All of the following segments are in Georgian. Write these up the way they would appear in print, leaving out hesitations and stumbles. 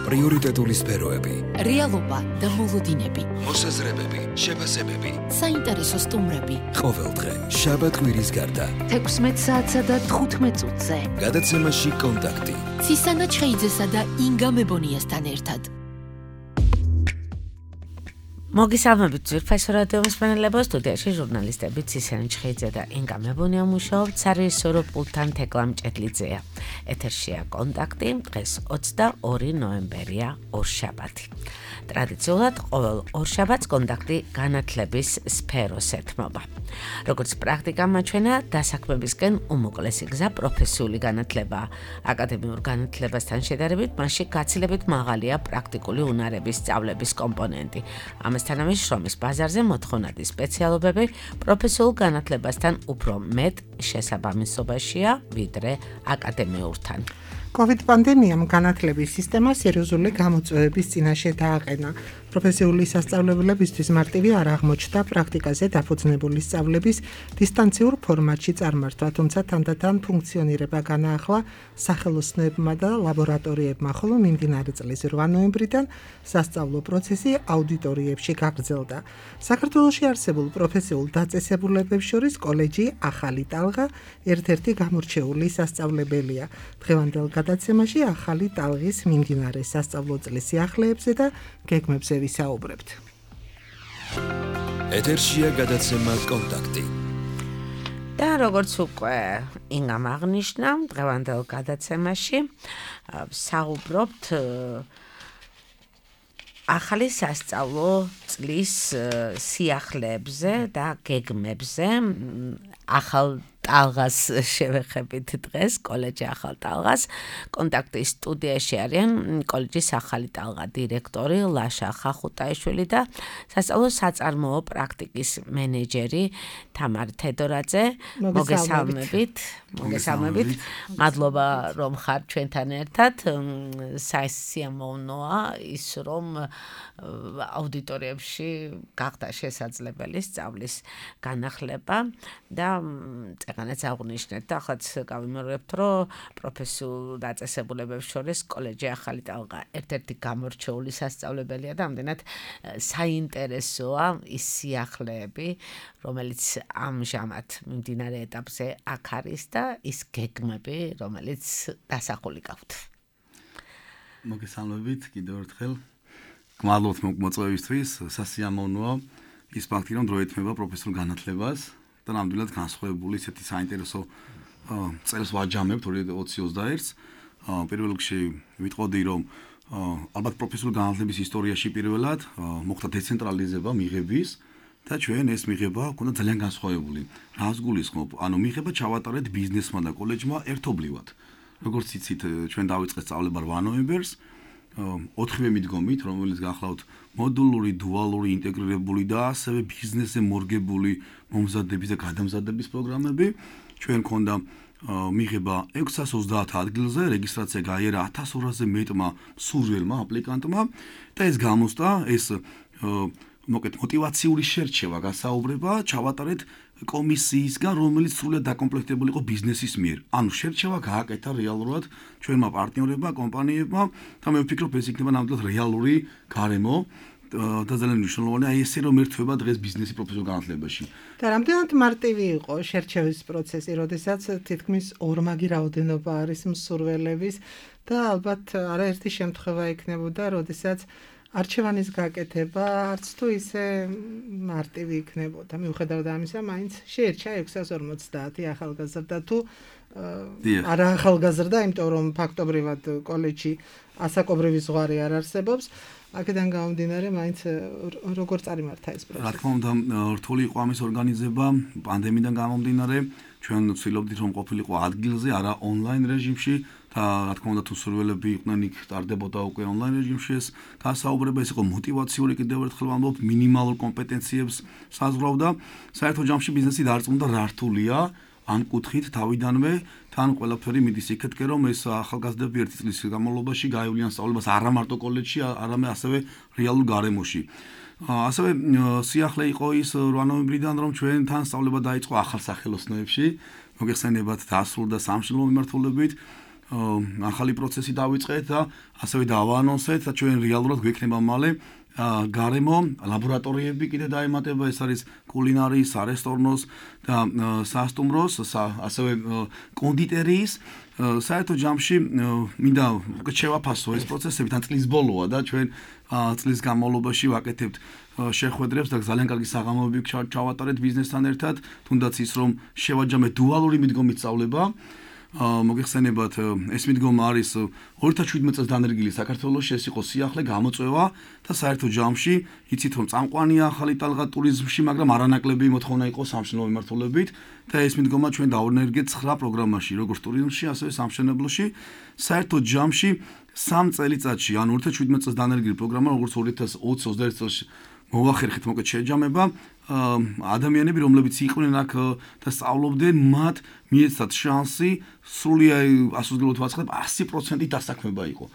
პრიორიტეტული სფეროები, რეალობა და მოლოდინები, მოსაზრებები, შეფასებები, საინტერესო სტუმრები. ყოველდღე შაბათ-კვირის გარდა 16 საათსა და 15 წუთზე. გადაცემაში კონტაქტი. ცისანა ჩხეიძესა და ინგა მებონიასთან ერთად. მოგესალმებით ძვირფასო რადიო მსმენელებო, სტუდიაში ჟურნალისტები ცისანა ჩხეიძე და ინგა მებონია მუშაობთ, სარეჟისორო პულტთან თეკლა მჭედლიძეა. ეთერშია კონტაქტი, დღეს 22 ნოემბერია, ორშაბათი. ტრადიციულად ყოველ ორშაბათს კონტაქტი განათლების სფეროს ეთმობა. როგორც პრაქტიკა მაჩვენა, დასაქმებისკენ უმოკლესი გზა პროფესიული განათლებაა. აკადემიურ განათლებასთან შედარებით, მასში გაცილებით მაღალია პრაქტიკული უნარების სწავლების კომპონენტი. ამასთანავე შრომის ბაზარზე მოთხოვნადი სპეციალობები პროფესიულ განათლებასთან უფრო მეტ შესაბამისობაშია, ვიდრე აკადემიურთან. COVID პანდემიამ განათლების სისტემას სერიოზული გამოწვევების წინაშე დააყენა. პროფესიული სასწავლებლებისთვის მარტივი არ აღმოჩნდა პრაქტიკაზე დაფუძნებული სწავლების დისტანციურ ფორმატში წარმართვა, თუმცა თანდათან ფუნქციონირება განაახლა სახელოსნოებმა და ლაბორატორიებმა, ხოლო მიმდინარე წლის 8 ნოემბრიდან სასწავლო პროცესი აუდიტორიებში გაგრძელდა. საქართველოში არსებულ პროფესიულ დაწესებულებებს შორის კოლეჯი ახალი ტალღა ერთ-ერთი გამორჩეული სასწავლებელია. დღევანდელ გადაცემაში ახალი ტალღის მიმდინარე სასწავლო წლის სიახლეებზე და გეგმებზე ვისაუბრებთ. ეთერშია გადაცემა კონტაქტი. და როგორც უკვე ინგამ აღნიშნა, დღევანდელ გადაცემაში საუბრობთ ახალი სასწავლო წლის სიახლეებზე და გეგმებზე. ახალ ტალღას შევეხებით დღეს, კოლეჯი ახალ ტალღას. კონტაქტის სტუდიაში არიან კოლეჯის ახალი ტალღა დირექტორი ლაშა ხახუტაიშვილი და სასწავლო საწარმოო პრაქტიკის მენეჯერი თამარ თედორაძე. მოგესალმებით. მადლობა რომ ხართ ჩვენთან ერთად. საინტერესოა ის რომ აუდიტორიებში გახდა შესაძლებელი სწავლის განახლება და წეგანაც აღნიშნეთ და ახაც გავიმეორებთ, რომ პროფესიულ დაწესებულებებს შორის კოლეჯი ახალი ტალღა ერთ-ერთი გამორჩეული სასწავლებელია და ამდენად საინტერესოა ის სიახლეები, რომელიც ამჟამად მიმდინარე ეტაპზე აქ არის და ის გეგმები, რომელიც დასახული გაქვთ. მოგესალმებით კიდევ ერთხელ. გმადლობთ მოწვევისთვის. სასიამოვნოა ის ფაქტი, რომ დრო ეთმება პროფესიულ განათლებას. და ნამდვილად განსხვავებული ესეთი საინტერესო წელს ვაჯამებთ 2021-ს. პირველ რიგში ვიტყოდი, რომ ალბათ პროფესიული განათლების ისტორიაში პირველად მოხდა დეცენტრალიზება მიღების და ჩვენ ეს მიღება ქონდა ძალიან განსხვავებული. რას გულისხმობ? ანუ მიღება ჩავატარეთ ბიზნესმა და კოლეჯმა ერთობლივად. როგორც იცით, ჩვენ დავიწყეთ სწავლება 8 ნოემბერს. 4-ვე მიდგომით, რომელიც გახლავთ მოდულური, დუალური, ინტეგრირებული და ასევე ბიზნესზე მორგებული მომზადების და გადამზადების პროგრამები. ჩვენ ქონდა მიღება 630 ადგილზე, რეგისტრაცია გაიარა 1200-ზე მეტმა მსურველმა აპლიკანტმა და ეს გამოსდა, ეს მოტივაციური შერჩევა გასაუბრება ჩავატარეთ კომისიისგან, რომელიც სრულად დაკომპლექტებული იყო ბიზნესის მიერ. ანუ შერჩევა გააკეთა რეალურად ჩვენმა პარტნიორებმა, კომპანიებმა და მე ვფიქრობ, ეს იქნება ნამდვილად რეალური გარემო და ძალიან მნიშვნელოვანია აი ესე რომ ერთვება დღეს ბიზნესი პროფესიულ განათლებაში. და რამდენად მარტივი იყო შერჩევის პროცესი, როდესაც თითქმის ორმაგი რაოდენობა არის მსურველების და ალბათ არაერთი შემთხვევა იქნებოდა, როდესაც არჩევანის გაკეთება არც თუ ისე მარტივი იქნებოდა. მიუხედავად ამისა, მაინც შეერჩა 650 ახალგაზრდა თუ არა ახალგაზრდა, იმიტომ რომ ფაქტობრივად კოლეჯში ასაკობრივი ზღვარი არ არსებობს. აქედან გამომდინარე, მაინც როგორ წარიმართა ეს პროცესი? რა თქმა უნდა, რთული იყო ამის ორგანიზება, პანდემიიდან გამომდინარე, ჩვენ ვცდილობდით რომ ყოფილიყო ადგილზე, არა ონლაინ რეჟიმში და რა თქმა უნდა თუ სურვილები იყვნენ იქ ტარდებოდა უკვე ონლაინ რეჟიმში ეს გასაუბრება, ეს იყო мотиваციური, კიდევ ერთხელ ვამბობ, მინიმალურ კომპეტენციებს საზღვრავდა. საერთო ჯამში ბიზნესი დარწმუნდა რა რთულია ამ კუთხით თავიდანვე თან ყველაფერი მიდის იქეთკე რომ ეს ახალგაზრდები ერთი წლის განმავლობაში გაივლიან სწავლებას არა მარტო კოლეჯში, არამედ ასევე რეალურ გარემოში. ასევე სიახლე იყო ის 8 ნოემბრიდან რომ ჩვენთან სწავლება დაიწყო ახალ სახელოსნოებში, მოგეხსენებათ დასრულდა სამშობლო მიმართულებით ახალი პროცესი დავიწყეთ და ასევე დავაანონსეთ და ჩვენ რეალურად გვექნება მალე გარემო ლაბორატორიები კიდე დაემატება, ეს არის კულინარიის, სარესტორნოს და სასტუმროს, ასევე კონდიტერიის. საერთო ჯამში მინდა შევაფასო ეს პროცესები, თან წლის ბოლოა და ჩვენ წლის განმავლობაში ვაკეთებთ შეხვედრებს და ძალიან კარგი საღამოები ჩავატარეთ ბიზნესთან ერთად, თუნდაც ის რომ შევაჯამეთ დუალური მიდგომით სწავლება. მოგეხსენებათ, ეს მიდგომა არის 2017 წელს დანერგილი საქართველოში, ეს იყო სიახლე გამოწვევა და საერთო ჯამში იცით რომ წამყვანია ახალი ტალღა ტურიზმში, მაგრამ არანაკლები მოთხოვნა იყო სამშენებლო მიმართულებით და ეს მიდგომა ჩვენ დავანერგეთ 9 პროგრამაში, როგორც ტურიზმში, ასევე სამშენებლოში. საერთო ჯამში 3 წელიწადში, ანუ 2017 წელს დანერგილი პროგრამა, როგორც 2020-21 წელს მოვახერხეთ მოკლედ შეჯამება, ადამიანები, რომლებიც იყვნენ აქ და სწავლობდნენ, მათ მიეცათ შანსი სრულად ასრულებად ვაცხადებ 100% დასაქმება იყო.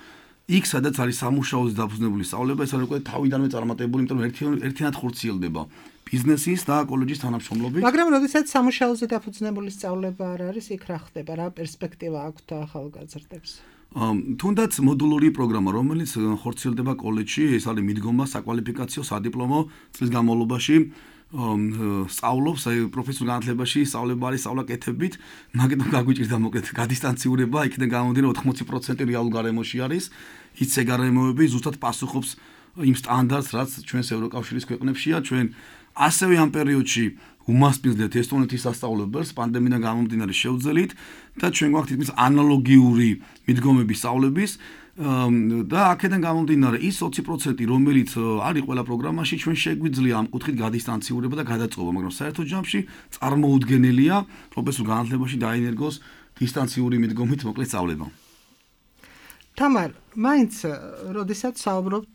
იქ სადაც არის სამუშაოზე დაფუძნებული სწავლება, ეს არის უკვე თავიდანვე წარმატებული, იმიტომ რომ ერთიანად ხორციელდება ბიზნესის და კოლეჯის თანამშრომლობით. მაგრამ როდესაც სამუშაოზე დაფუძნებული სწავლება არ არის, იქ რა ხდება, რა პერსპექტივა აქვთ ახალგაზრდებს? თუნდაც მოდულური პროგრამა, რომელიც ხორციელდება კოლეჯში, ეს არის მიდგომა საკვალიფიკაციო სადიპლომო წლის განმავლობაში სწავლობს პროფესიულ განათლებაში, სწავლება არის სწავლა კეთებით, მაგიტომ გაგვიჭირდა მოკლედ გადისტანციურება, იქიდან გამომდინარე 80% რეალურ გარემოში არის, იცე გარემოები ზუსტად პასუხობს იმ სტანდარტს, რაც ჩვენს ევროკავშირის ქვეყნებშია, ჩვენ ასევე ამ პერიოდში უმასპინძლეთ ესტონეთის სასწავლებელს პანდემიიდან გამომდინარე შევძელით და ჩვენ გვაქვს თითქმის ანალოგიური მიდგომების სწავლების და აქედან გამომდინარე ის 20% რომელიც არის ყველა პროგრამაში ჩვენ შეგვიძლია ამ კუთხით გადისტანციურება და გადაწყობა, მაგრამ საერთო ჯამში წარმოუდგენელია პროფესიულ განათლებაში დაინერგოს დისტანციური მიდგომით მოკლედ სწავლება. თამარ, მაინც როდესაც საუბრობთ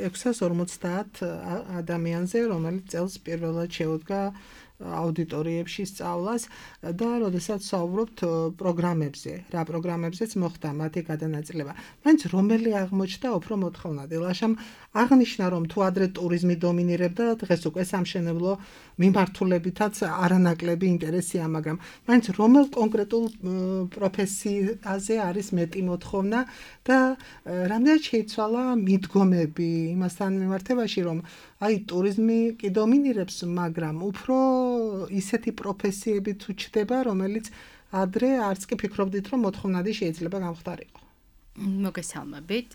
650 ადამიანზე, რომელიც წელს პირველად შეუდგა აუდიტორიებში სწავლას და როდესაც საუბრობთ პროგრამებზე, რა პროგრამებზეც მოხდა მათი გადანაწილება. მაინც რომელი აღმოჩნდა უფრო მოთხოვნადი? ლაშამ აღნიშნა რომ თუ ადრე ტურიზმი დომინირებდა, დღეს უკვე სამშენებლო მიმართულებითაც არანაკლები ინტერესია, მაგრამ მაინც რომელ კონკრეტულ პროფესიაზე არის მეტი მოთხოვნა და რამდენად შეიცვალა მიდგომები იმასთან მიმართებაში, რომ აი ტურიზმი კი დომინირებს, მაგრამ უფრო ისეთი პროფესიები თუ ჩდება, რომელიც ადრე არც კი ფიქრობდით, რომ მოთხოვნადი შეიძლება გამხდარიყო. მოგესალმებით.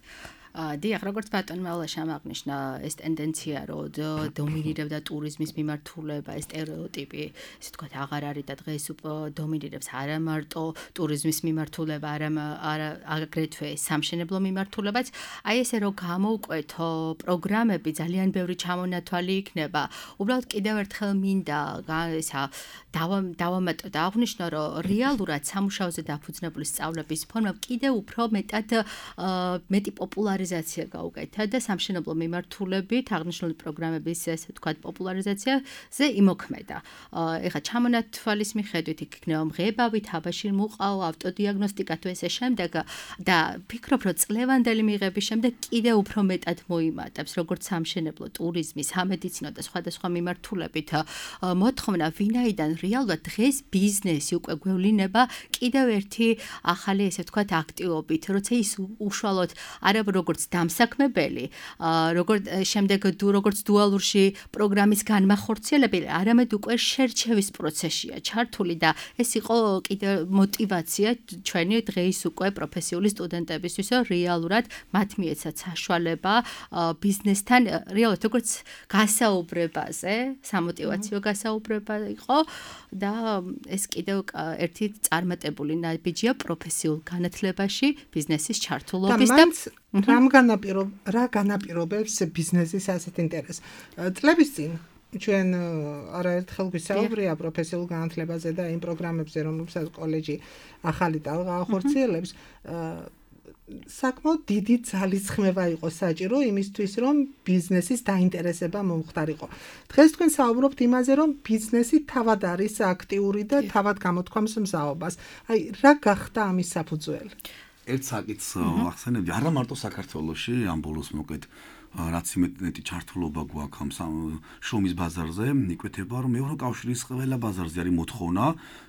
დიახ, როგორც ბატონმა ლაშამ აღნიშნა, ეს ტენდენცია, რომ დომინირებდა ტურიზმის მიმართულება, ეს სტერეოტიპი, ესე ვთქვათ, აღარ არის და დღეს დომინირებს არა მარტო ტურიზმის მიმართულება, არა აგრეთვე სამშენებლო მიმართულებაც. აი ესე რომ გამოვკვეთო პროგრამები, ძალიან ბევრი ჩამონათვალი იქნება. უბრალოდ კიდევ ერთხელ მინდა ესა დავამატო და აღვნიშნო, რომ რეალურად სამუშაოზე დაფუძნებული სწავლების ფორმა კიდევ უფრო მეტი პოპულარიზაცია გაუკეთა და სამშენებლო მიმართულებით აღნიშნული პროგრამების ესე ვთქვათ პოპულარიზაციაზე იმოქმედა. ეხლა ჩამონათვალის მიხედვით იქნება მღებავი, თაბაშირ მუყაო, ავტოდიაგნოსტიკა თუ ესე შემდეგ და ფიქრობ, რომ წლევანდელი მიღების შემდეგ კიდევ უფრო მეტად მოიმატებს, როგორც სამშენებლო, ტურიზმი, სამედიცინო და სხვადასხვა მიმართულებით მოთხოვნა, ვინაიდან რეალურად დღეს ბიზნესი უკვე გვევლინება კიდევ ერთი ახალი ესე ვთქვათ აქტივობით, როცა ის უშუალოდ არა როგორც დამსაქმებელი, როგორც დუალურში პროგრამის განმახორციელებელი, არამედ უკვე შერჩევის პროცესია ჩართული და ეს იყო კიდევ მოტივაცია ჩვენი დღეს უკვე პროფესიული სტუდენტებისთვის, რომ რეალურად მათ მიეცათ საშუალება ბიზნესთან რეალურად როგორც გასაუბრებაზე, სამოტივაციო გასაუბრება იყო და ეს კიდევ ერთი წარმატებული ნაბიჯია პროფესიულ განათლებაში ბიზნესის ჩართულობის და რა განაპირობებს ბიზნესის ასეთ ინტერესს? წლების წინ ჩვენ არაერთხელ გვისაუბრია პროფესიულ განათლებაზე და იმ პროგრამებზე, რომლებსაც კოლეჯი ახალი ტალღა ახორციელებს, საკმაოდ დიდი ძალისხმევა იყო საჭირო იმისთვის, რომ ბიზნესის დაინტერესება მომხდარიყო. დღეს თქვენ საუბრობთ იმაზე, რომ ბიზნესი თავად არის აქტიური და თავად გამოთქვამს მზაობას. აი, რა გახდა ამის საფუძველი? ერთ საკითხს ახსენებდი, არა მარტო საქართველოში, ამ ბოლოს მოკლედ რაც იმეტი ჩართულობა გვაქვს ამ შრომის ბაზარზე, იკვეთება, რომ ევროკავშირის ყველა ბაზარზე არის მოთხოვნა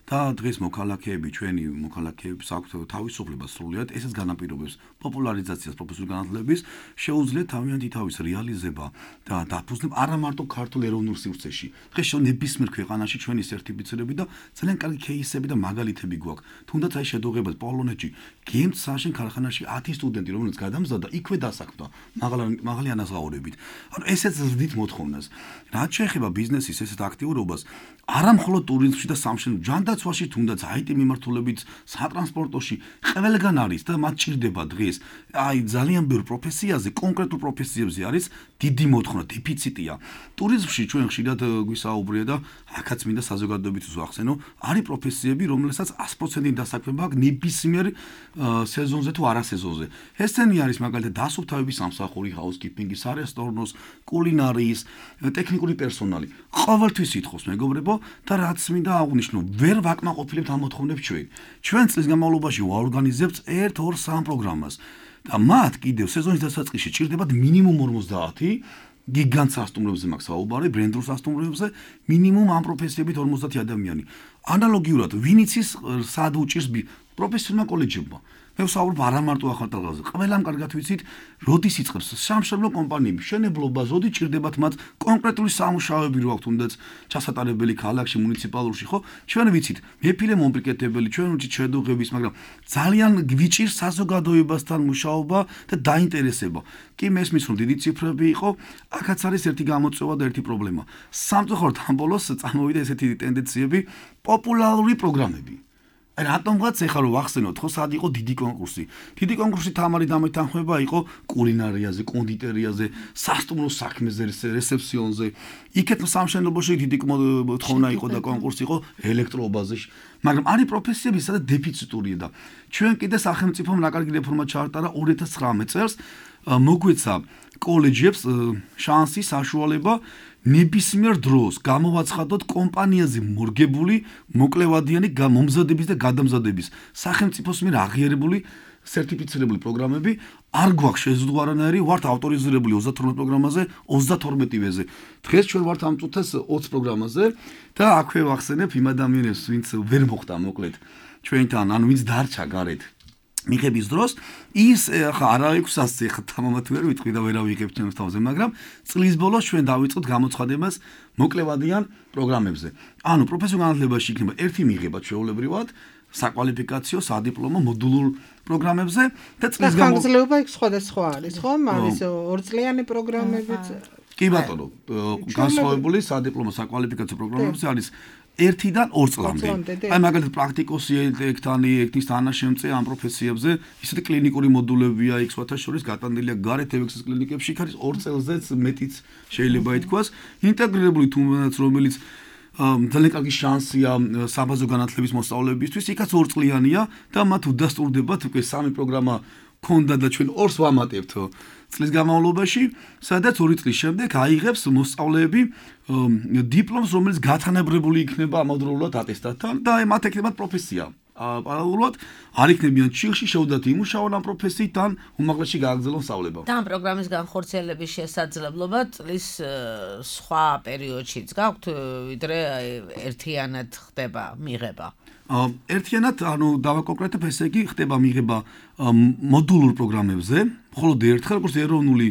და დღეს მოქალაქეები, ჩვენი მოქალაქეებს აქვთ თავისუფლება სრულიად, ესეც განაპირობებს პოპულარიზაციას პროფესიული განათლების, შეუძლიათ თავიანთი თავის რეალიზება და დაფუძნებ არა მარტო ქართულ ეროვნულ სივრცეში. დღეს ნებისმიერ ქვეყანაში ჩვენი სერტიფიცირები და ძალიან კარგი кейსები და მაგალითები გვაქვს. თუნდაც აი შედუღებას პოლონეთში გემთ საშენ ქარხანაში 10 სტუდენტი რომელიც გადამზადდა, იქვე დასაქმდა მაღალი ანაზღაურებით. ანუ ესეც ზრდით მოთხოვნას. რაც შეეხება ბიზნესის ესეთ აქტიურობას, არა მხოლოდ ტურიზმში და სამშენებლო ჯანდაცვაში, თუნდაც IT მიმართულებით, სატრანსპორტოში ყველგან არის და მათ ჭირდება დღეს. აი ძალიან ბევრ პროფესიაზე, კონკრეტულ პროფესიებზე არის დიდი მოთხოვნა, დეფიციტია. ტურიზმში ჩვენ ხშირად გვისაუბრია და აქაც მინდა საზოგადოებით ვახსენო, არის პროფესიები, რომელსაც 100% დასაქმება აქვს ნებისმიერ სეზონზე თუ არასეზონზე. ესენი არის მაგალითად დასუფთავების სამსახური, ჰაუსკიპინგის, არესტორნოს, კულინარიის, ტექნიკური პერსონალი. ყოველთვის ითხოვს მეგობრებო და რაც მინდა აღვნიშნო, ვერ ვაკმაყოფილებთ ამ მოთხოვნებს ჩვენ. ჩვენ წლის განმავლობაში ვაორგანიზებთ 1, 2, 3 პროგრამას და მათ კიდევ სეზონის დასაწყისში ჭირდებათ მინიმუმ 50 გიგანტ სასტუმროებზე მაქვს საუბარი, ბრენდულ სასტუმროებზე, მინიმუმ ამ პროფესიებით 50 ადამიანი. ანალოგიურად, ვინც ის სად უჭირს პროფესიონალ კოლეჯებმა. მე ვსაუბრობ არა მარტო ახალტალღაზე, ყველამ კარგად ვიცით, როდის იწყებს სამშენებლო კომპანიები, მშენებლობა, ზოდი ჭირდებათ მათ კონკრეტული სამუშაოები რო აქვთ, თუნდაც ჩასატარებელი ქალაქში, მუნიციპალურში, ხო? ჩვენ ვიცით, მეფილე მომპრიკეთებელი, ჩვენ ვიცით შედუღების, მაგრამ ძალიან გვიჭირს საზოგადოებასთან მუშაობა და დაინტერესება. კი მესმის რომ დიდი ციფრები იყო, აქაც არის ერთი გამოწვევა და ერთი პრობლემა. სამწუხაროდ ამ ბოლოს წამოვიდა ესეთი ტენდენციები, პოპულარული პროგრამები. აი რატომღაც ეხლა რომ ვახსენოთ, ხო, სად იყო დიდი კონკურსი. დიდი კონკურსი თამარი დამეთანხმება იყო კულინარიაზე, კონდიტერიაზე, სასტუმრო საქმეზე, რესეპსიონზე. იქეთ სამშენებლობაში დიდი მოთხოვნა იყო და კონკურსი იყო ელექტროობაზე. მაგრამ არის პროფესიები, სადაც დეფიციტურია და ჩვენ კიდე სახელმწიფომ რაკარგი რეფორმა ჩაარტარა 2019 წელს, მოგვეცა კოლეჯებს შანსი, საშუალება ნებისმიერ დროს გამოვაცხადოთ კომპანიაზე მორგებული მოკლევადიანი მომზადების და გადამზადების სახელმწიფოს მიერ აღიარებული სერტიფიცირებული პროგრამები არ გვაქვს შეზღუდვა არანაირი, ვართ ავტორიზირებული 32 პროგრამაზე, 32-ვეზე. დღეს ჩვენ ვართ ამ წუთას 20 პროგრამაზე და აქვე ვახსენებ იმ ადამიანებს, ვინც ვერ მოხდა მოკლედ ჩვენთან, ანუ ვინც დარჩა გარეთ მიღების დროს ის ხა არა 600 ხა თამამად ვერ ვიტყვი და ვერავიღებ ჩემს თავზე, მაგრამ წლის ბოლოს ჩვენ დავიწყოთ გამოცხადებას მოკლევადიან პროგრამებზე. ანუ პროფესიულ განათლებაში იქნება ერთი მიღება ჩვეულებრივად საკვალიფიკაციო, სადიპლომო, მოდულურ პროგრამებზე და წლის განმავლობა იქ სხვადასხვა არის, ხო? არის 2 წლიანი პროგრამებიც. კი ბატონო, განსხვავებული სადიპლომო, საკვალიფიკაციო პროგრამებზე არის 1-დან 2 წლამდე. აი მაგალითად პრაქტიკოსი ექთის თანაშემწე ამ პროფესიებზე, ისეთი კლინიკური მოდულებია იქ სხვათა შორის გატანილია გარეთ ევექსის კლინიკებში, იქ არის 2 წელზეც მეტიც შეიძლება ითქვას, ინტეგრირებული თუნდაც რომელიც ძალიან კარგი შანსია საბაზო განათლების მოსწავლეებისთვის, იქაც 2 წლიანია და მათ უდასტურდებათ უკვე 3 პროგრამა ქონდა და ჩვენ 2-ს ვამატებთ წლის განმავლობაში, სადაც 2 წლის შემდეგ აიღებს მოსწავლეები დიპლომს, რომელიც გათანაბრებული იქნება ამავდროულად ატესტატთან და მათ ექნებათ პროფესია. პარალელურად არ იქნებიან ჩილში, შეუძლიათ იმუშაონ ამ პროფესიით ან უმაღლესში გააგრძელონ სწავლება. და ამ პროგრამის განხორციელების შესაძლებლობა წლის სხვა პერიოდშიც გაქვთ, ვიდრე ერთიანად ხდება მიღება. ერთიანად, ანუ დავაკონკრეტებ, ესე იგი ხდება მიღება მოდულურ პროგრამებზე, მხოლოდ ერთხელ, როგორც ეროვნული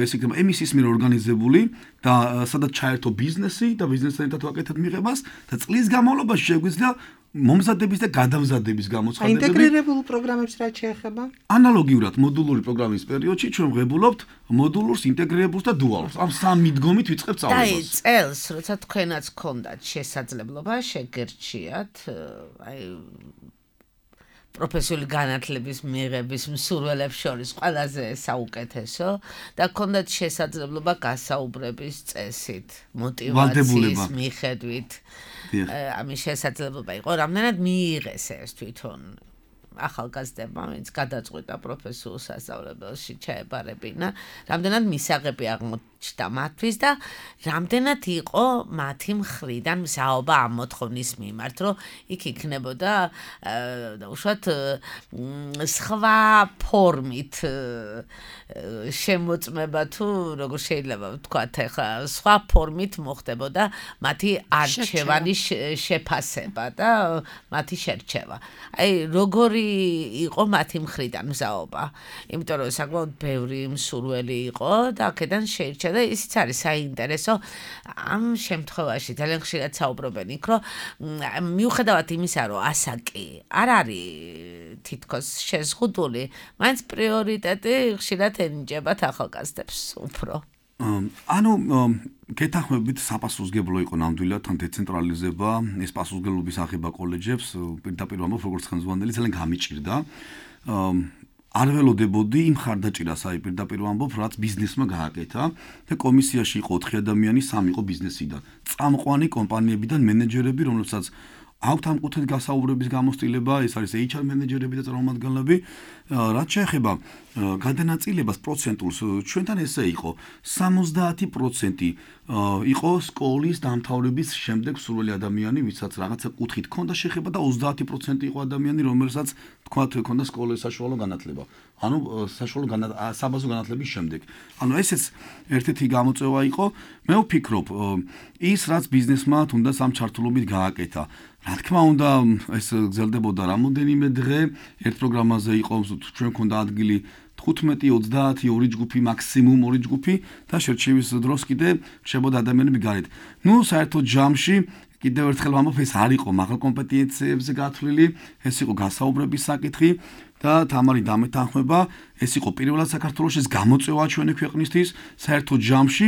ესე იგი ემისის მიერ ორგანიზებული და სადაც ჩაერთო ბიზნესი და ბიზნესთან ერთად ვაკეთებთ მიღებას და წლის განმავლობაში შეგვიძლია მომზადების და გადამზადების გამოცხადებები. ინტეგრირებულ პროგრამებს რაც შეეხება? ანალოგიურად მოდულური პროგრამის პერიოდში ჩვენ ვღებულობთ მოდულურს, ინტეგრირებულს და დუალურს. ამ სამ მიდგომით ვიწყებთ სწავლებას. და წელს, როცა თქვენაც გქონდათ შესაძლებლობა შეგერჩიათ, აი პროფესიული განათლების მიღების მსურველებს შორის ყველაზე საუკეთესო და გქონდათ შესაძლებლობა გასაუბრების წესით, მოტივაციის მიხედვით. ამის შესაძლებლობა იყო, რამდენად მიიღეს ეს თვითონ ახალგაზრდებმა, ვინც გადაწყვიტა პროფესიულ სასწავლებელში ჩაებარებინა, რამდენად მისაღები აღმოჩნდა მათთვის და რამდენად იყო მათი მხრიდან მზაობა ამ მოთხოვნის მიმართ, რომ იქ იქნებოდა უშუალოდ სხვა ფორმით შემოწმება თუ როგორ შეიძლება ვთქვათ, ახლა სხვა ფორმით მოხდებოდა მათი არჩევანის შეფასება და მათი შერჩევა. აი, როგორი იყო მათი მხრიდან მზაობა? იმიტომ რომ საკმაოდ ბევრი მსურველი იყო და აქედან შეირჩა და ისიც არის საინტერესო ამ შემთხვევაში ძალიან ხშირად საუბრობენ იქ, რომ მიუხედავად იმისა, რომ ასაკი არ არის თითქოს შეზღუდული, მაინც პრიორიტეტი ხშირად ენიჭებათ ახალგაზრდებს უფრო. ანუ გეთანხმებით საპასუხისმგებლო იყო ნამდვილად თან დეცენტრალიზება, ეს პასუხისმგებლობის აღება კოლეჯებს, პირდაპირ ვამბობ, როგორც ხელმძღვანელი ძალიან გამიჭირდა. არ ველოდებოდი იმ ხარდაჭირას, აი პირდაპირ ვამბობ, რაც ბიზნესმა გააკეთა და კომისიაში იყო 4 ადამიანი, 3 იყო ბიზნესიდან. წამყვანი კომპანიებიდან მენეჯერები, რომლებსაც აქვთ ამ კუთხით გასაუბრების გამოცდილება, ეს არის HR მენეჯერები და წარმომადგენლები, რაც შეეხება გადანაწილებას პროცენტულს, ჩვენთან ესე იყო 70% იყო სკოლის დამთავრების შემდეგ სურვილი ადამიანი, ვისაც რაღაცა კუთხით ჰქონდა შეხება და 30% იყო ადამიანი, რომელსაც თქვათ ჰქონდა სკოლის საშუალო განათლება. ანუ საშუალო საბაზო განათლების შემდეგ. ანუ ესეც ერთ-ერთი გამოწვევა იყო. მე ვფიქრობ, ის რაც ბიზნესმა თუნდაც ამ ჩართულობით გააკეთა. რა თქმა უნდა, ეს გრძელდებოდა რამოდენიმე დღე, ერთ პროგრამაზე იყო ჩვენ მქონდა ადგილი 15-30 2 ჯგუფი, მაქსიმუმ 2 ჯგუფი და შერჩევის დროს კიდე რჩებოდა ადამიანები გარეთ. ნუ საერთოდ ჯამში კიდევ ერთხელ ვამბობ, ეს არ იყო მაღალ კომპეტენციებზე გათვლილი, ეს იყო გასაუბრების საკითხი და თამარი დამეთანხმება, ეს იყო პირველად საქართველოში, ეს გამოწვევა ჩვენი ქვეყნისთვის, საერთოდ ჯამში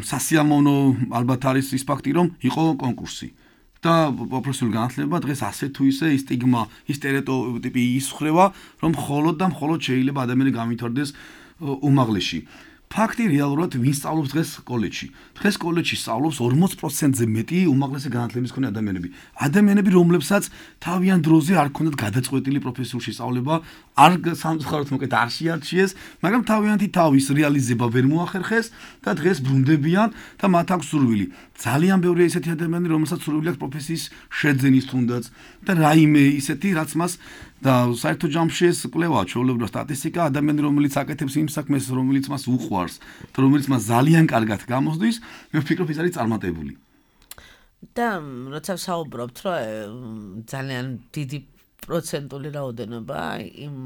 სასიამოვნო ალბათ არის ის ფაქტი, რომ იყო კონკურსი. და პროფესიული განათლება დღეს ასე თუ ისე ის სტიგმა, ის სტერეოტიპი ისხრევა, რომ მხოლოდ და მხოლოდ შეიძლება ადამიანი გამითარდეს უმაღლეში. ფაქტი რეალურად ვინ სწავლობს დღეს კოლეჯში? დღეს კოლეჯში სწავლობს 40%-ზე მეტი უმაღლესი განათლების მქონე ადამიანები. ადამიანები, რომლებსაც თავიანთ დროზე არ ჰქონდათ გადაწყვეტილი პროფესიული შესწავლება, არ სამწუხაროდ მოკეთ არ შეარჩიეს, მაგრამ თავიანთი თავის რეალიზება ვერ მოახერხეს და დღეს ბრუნდებიან და მათ აქვს სურვილი. ძალიან ბევრია ისეთი ადამიანები, რომელსაც სურვილი აქვს პროფესიის შეძენის თუნდაც და რაიმე ისეთი, რაც მას და საერთოდ ჯამში ეს კვლევა, ჩვეულებრივ სტატისტიკა, ადამიანი, რომელიც აკეთებს იმ საქმეს, რომელიც მას უყვარს და რომელიც მას ძალიან კარგად გამოსდის, მე ვფიქრობ, ის არის წარმატებული. და როცა ვსაუბრობთ, რომ ძალიან დიდი პროცენტული რაოდენობა იმ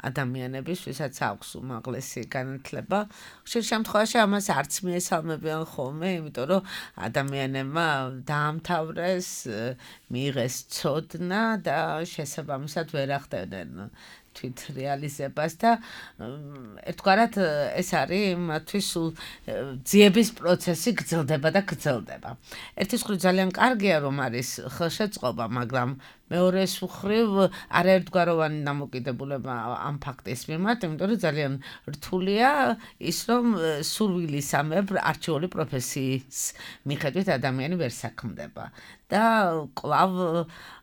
ადამიანების, ვისაც აქვს უმაღლესი განათლება, ხშირ შემთხვევაში ამას არც მიესალმებიან ხოლმე, იმიტომ რომ ადამიანებმა დაამთავრეს, მიიღეს ცოდნა და შესაბამისად ვერ ახდენენ თვით რეალიზებას და ერთგვარად ეს არის მათთვის ძიების პროცესი გრძელდება და გრძელდება. ერთის მხრივ ძალიან კარგია, რომ არის ხელშეწყობა, მაგრამ მეორეს მხრივ არაერთგვაროვანი დამოკიდებულება ამ ფაქტის მიმართ, იმიტომ რომ ძალიან რთულია ის, რომ სურვილისამებრ არჩეული პროფესიის მიხედვით ადამიანი ვერ საქმდება და კვლავ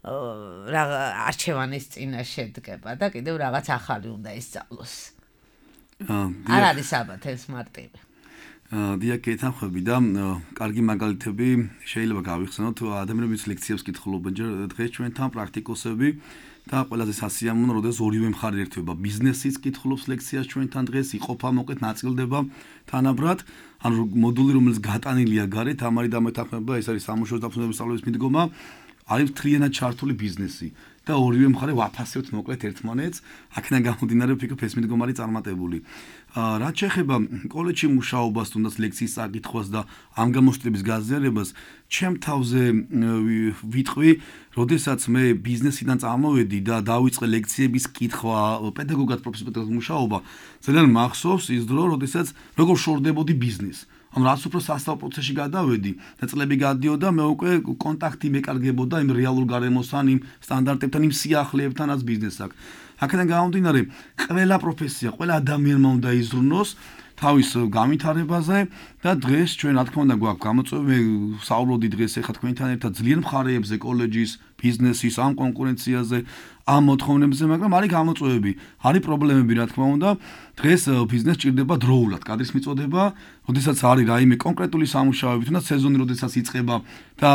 არჩევანის წინაშე დგება და კიდევ რაღაც ახალი უნდა ისწავლოს. არ არის ალბათ ეს მარტივი. დიახ, გეთანხმები და კარგი მაგალითები შეიძლება გავიხსენოთ, ადამიანების ლექციებს კითხულობენ დღეს ჩვენთან პრაქტიკოსები და ყველაზე სასიამოვნო, როდესაც ორივე მხარე ერთვება. ბიზნესიც კითხულობს ლექციას ჩვენთან დღეს, იყოფა მოკეთ ნაწილდება თანაბრად, ანუ მოდული, რომელიც გატანილია გარეთ, ამარი დამეთანხმება, ეს არის სამუშაო დაფუძნებული სწავლების მიდგომა, არის მთლიანად ჩართული ბიზნესი და ორივე მხარე ვაფასებთ მოკლედ ერთმანეთს, აქედან გამომდინარე ვფიქრობ ეს მიდგომა არის წარმატებული. რაც შეეხება კოლეჯში მუშაობას, თუნდაც ლექციის წაკითხვას და ამ გამოცდილების გაზიარებას, ჩემ თავზე ვიტყვი, როდესაც მე ბიზნესიდან წამოვედი და დავიწყე ლექციების კითხვა, პედაგოგად პროფესიულად მუშაობა, ძალიან მახსოვს ის დრო, როდესაც როგორ შორდებოდი ბიზნესს. ანუ რაც უფრო სასწავლო პროცესში გადავედი და წლები გადიოდა, მე უკვე კონტაქტი მეკარგებოდა იმ რეალურ გარემოსთან, იმ სტანდარტებთან, იმ სიახლეებთან, რაც ბიზნესს აქვს. აქედან გამომდინარე, ყველა პროფესია, ყველა ადამიანმა უნდა იზრუნოს თავის განვითარებაზე და დღეს ჩვენ რა თქმა უნდა გვაქვს გამოწვევა, მე საუბრობდი დღეს ახლა თქვენთან ერთად ძლიერ მხარეებზე, კოლეჯის, ბიზნესის, ამ კონკურენციაზე, ამ მოთხოვნებზე, მაგრამ არის გამოწვევები, არის პრობლემები, რა თქმა უნდა. დღეს ბიზნესს ჭირდება დროულად კადრის მიწოდება, როდესაც არის რაიმე კონკრეტული სამუშაოები, თუნდაც სეზონი როდესაც იწყება და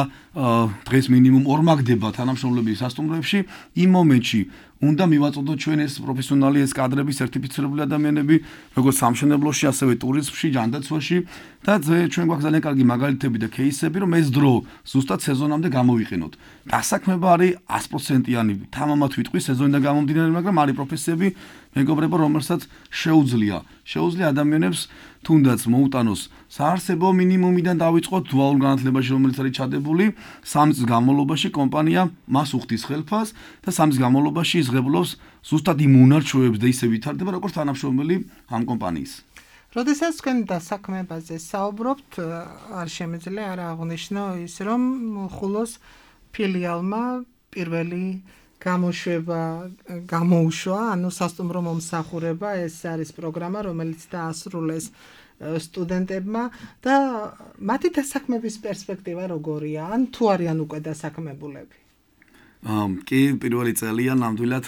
დღეს მინიმუმ ორმაგდება თანამშრომლები სასტუმროებში, იმ მომენტში უნდა მივაწოდოთ ჩვენ ეს პროფესიონალი ეს კადრები, სერტიფიცირებული ადამიანები, როგორც სამშენებლოში, ასევე ტურიზმში, ჯანდაცვაში და ჩვენ გვაქვს ძალიან კარგი მაგალითები და кейსები, რომ ეს დრო ზუსტად სეზონამდე გამოვიყენოთ. დასაქმება არის 100%-იანი, თამამად ვიტყვი სეზონიდან გამომდინარე, მაგრამ არის პროფესიები, მეგობრებო, რომელსაც შეუძლია ადამიანებს თუნდაც მოუტანოს საარსებო მინიმუმიდან დავიწყოთ დუალურ განათლებაში, რომელიც არის ჩადებული 3 წლის განმავლობაში კომპანია მას უხდის ხელფას და 3 წლის განმავლობაში იზღებლობს ზუსტად იმ უნარ-ჩვევებს და ისე ვითარდება, როგორც თანამშრომელი ამ კომპანიის. როდესაც თქვენ დასაქმებაზე საუბრობთ, არ შემიძლია არ აღნიშნო ის, რომ ხულოს ფილიალმა პირველი გამოუშვა, ანუ სასტუმრო მომსახურება, ეს არის პროგრამა, რომელიც დაასრულეს სტუდენტებმა და მათი დასაქმების პერსპექტივა როგორია? ან თუ არიან უკვე დასაქმებულები? კი, პირველი წელია ნამდვილად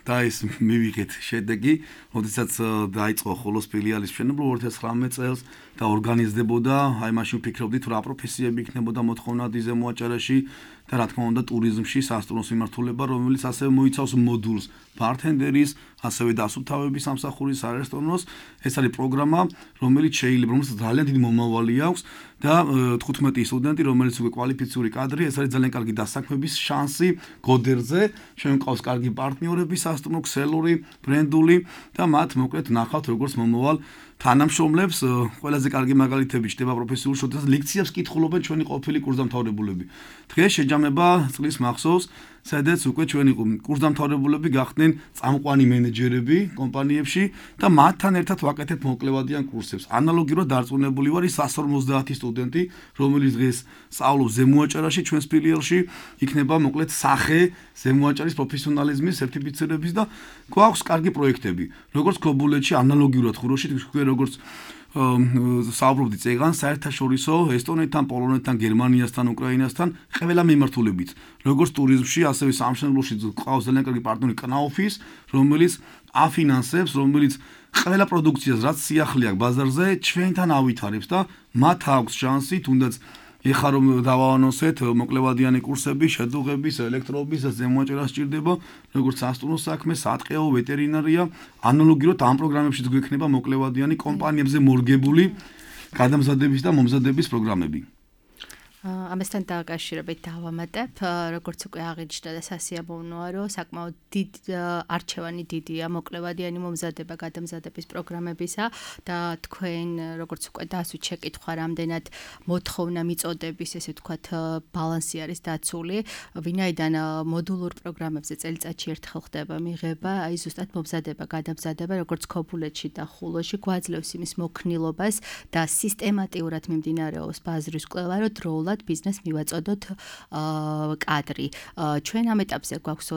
და ეს მივიღეთ შედეგი, როდესაც დაიწყო ხულოს ფილიალის მშენებლობა 2019 წელს და ორგანიზდებოდა, აი მაშინ ვფიქრობდით რა პროფესიები იქნებოდა მოთხოვნა დიზემოაჭარაში და რა თქმა უნდა ტურიზმში სასტუმროს მიმართულება, რომელიც ასევე მოიცავს მოდულს ბართენდერის, ასევე დასუფთავების სამსახურის, არესტორნოს. ეს არის პროგრამა, რომელიც შეიძლება, რომელსაც ძალიან დიდი მომავალი აქვს და 15 სტუდენტი, რომელიც უკვე კვალიფიციური კადრი, ეს არის ძალიან კარგი დასაქმების შანსი გოდერზე. ჩვენ გვყავს კარგი პარტნიორები სასტუმრო, ქსელური, ბრენდული და მათ მოკლედ ნახავთ როგორც მომავალ თანამშრომლებს. ყველაზე კარგი მაგალითები ჩდება პროფესიულ შოთას ლექციებს კითხულობენ ჩვენი ყოფილი კურსდამთავრებულები. დღეს შეჯამება წლის მახსოვს, სადაც უკვე ჩვენი კურსდამთავრებულები გახდნენ წამყვანი მენეჯერები კომპანიებში და მათთან ერთად ვაკეთებთ მოკლევადიან კურსებს. ანალოგიურად დარწმუნებული ვარ, ის 150 სტუდენტი, რომელიც დღეს სწავლობს ზემოაჭარაში ჩვენს ფილიალში, იქნება მოკლედ სახე ზემოაჭარის პროფესიონალიზმის სერტიფიცირების და გვაქვს კარგი პროექტები. როგორც ქობულეთში, ანალოგიურად ხუროში, თქვენ როგორც საუბრობდით წეგან საერთაშორისო ესტონეთთან, პოლონეთთან, გერმანიასთან, უკრაინასთან ყველა მიმართულებით. როგორც ტურიზმში, ასევე სამშენებლოში გვყავს ძალიან კარგი პარტნიორი კნაუფის, რომელიც აფინანსებს, რომელიც ყველა პროდუქციას, რაც სიახლე აქვს ბაზარზე, ჩვენთან ავითარებს და მათ აქვს შანსი, თუნდაც ეხლა რომ დავაანონსეთ მოკლევადიანი კურსები, შედუღების, ელექტროობის და ზემოაჭერას სჭირდება, როგორც სასტუმრო საქმე, სატყეო, ვეტერინარია, ანალოგიურად ამ პროგრამებშიც გვექნება მოკლევადიანი კომპანიებზე მორგებული გადამზადების და მომზადების პროგრამები. ამასთან დაკავშირებით დავამატებ, როგორც უკვე აღინიშნა და სასიამოვნოა, რომ საკმაოდ არჩევანი დიდია მოკლევადიანი მომზადება გადამზადების პროგრამებისა და თქვენ როგორც უკვე დასვით შეკითხვა, რამდენად მოთხოვნა მიწოდების, ესე ვთქვათ, ბალანსი არის დაცული, ვინაიდან მოდულურ პროგრამებზე წელიწადში ერთხელ ხდება მიღება, აი ზუსტად მომზადება, გადამზადება, როგორც ქობულეთში და ხულოში გვაძლევს იმის მოქნილობას და სისტემატიურად მიმდინარეობს ბაზრის კვლევა, რომ დროულად ბიზნეს მივაწოდოთ კადრი. ჩვენ ამ ეტაპზე გვაქვს